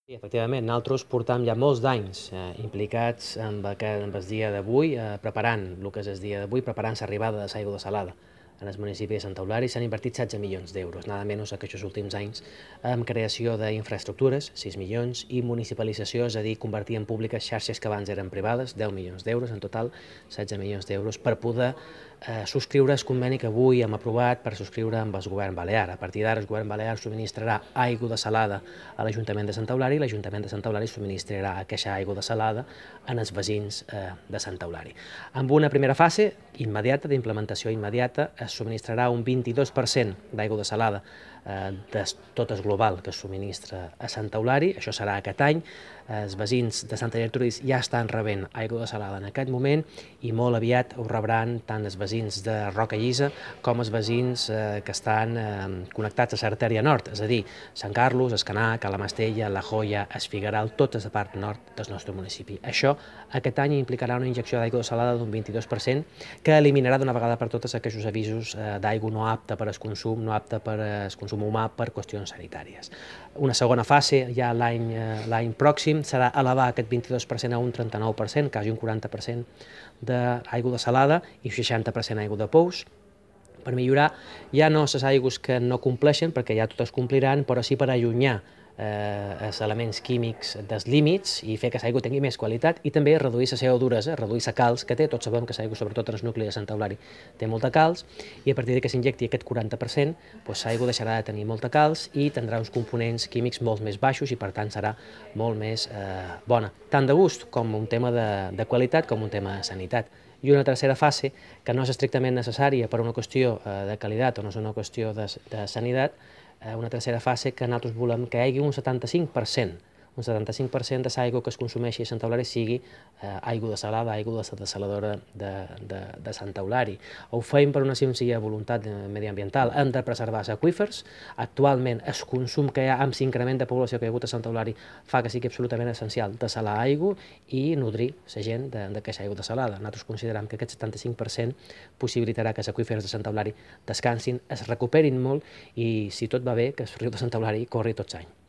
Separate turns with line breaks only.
Sí, efectivament, nosaltres portam ja molts d'anys implicats amb el dia d'avui, preparant el que és el dia d'avui, preparant l'arribada de l'aigua salada en el municipi de Santa Eulària. S'han invertit 16 milions d'euros, nada menys que aquests últims anys, en creació d'infraestructures, 6 milions, i municipalització, és a dir, convertir en públiques xarxes que abans eren privades, 10 milions d'euros, en total 16 milions d'euros, per poder subscriure el conveni que avui hem aprovat per subscriure amb el govern balear. A partir d'ara el govern balear subministrarà aigua de salada a l'Ajuntament de Santa Eulària i l'Ajuntament de Santa Eulària subministrarà aquesta aigua de salada en els veïns de Santa Eulària. Amb una primera fase immediata, d'implementació immediata, es subministrarà un 22% d'aigua de salada de tot el global que es subministra a Santa Eulària. Això serà aquest any. Els veïns de Santa Gertrudis ja estan rebent aigua de salada en aquest moment i molt aviat ho rebran tant els veïns de Roca Llisa com els veïns que estan connectats a l'artèria nord, és a dir, Sant Carlos, Escanar, Calamastella, La Joia, Es Figueral, tota la part nord del nostre municipi. Això aquest any implicarà una injecció d'aigua de salada d'un 22% que eliminarà d'una vegada per totes aquests avisos d'aigua no apta per al consum, no apta per al consum humà per qüestions sanitàries. Una segona fase, ja l'any pròxim, serà elevar aquest 22% a un 39%, quasi un 40% d'aigua de salada i 60% aigua de pous, per millorar ja no les aigües que no compleixen, perquè ja totes compliran, però sí per allunyar els elements químics dels límits i fer que l'aigua tingui més qualitat i també reduir la seva duresa, reduir la calç que té. Tots sabem que l'aigua, sobretot en el nucli de Santa Eulària, té molta calç i a partir que s'injecti aquest 40%, l'aigua deixarà de tenir molta calç i tindrà uns components químics molt més baixos i per tant serà molt més bona, tant de gust com un tema de qualitat com un tema de sanitat. I una tercera fase, que no és estrictament necessària per una qüestió de qualitat o no és una qüestió de sanitat, una tercera fase que nosaltres volem que hi hagi un 75% de l'aigua que es consumeixi a Santa Eulària sigui aigua de salada, aigua de la desaladora de Santa Eulària. Ho feim per una senzilla voluntat mediambiental. Hem de preservar els aqüífers. Actualment el consum que hi ha amb l'increment de població que hi ha hagut a Santa Eulària fa que sigui absolutament essencial desalar aigua i nodrir la gent d'aquesta aigua desalada. Nosaltres considerem que aquest 75% possibilitarà que els aqüífers de Santa Eulària descansin, es recuperin molt i, si tot va bé, que el riu de Santa Eulària corri tot l'any.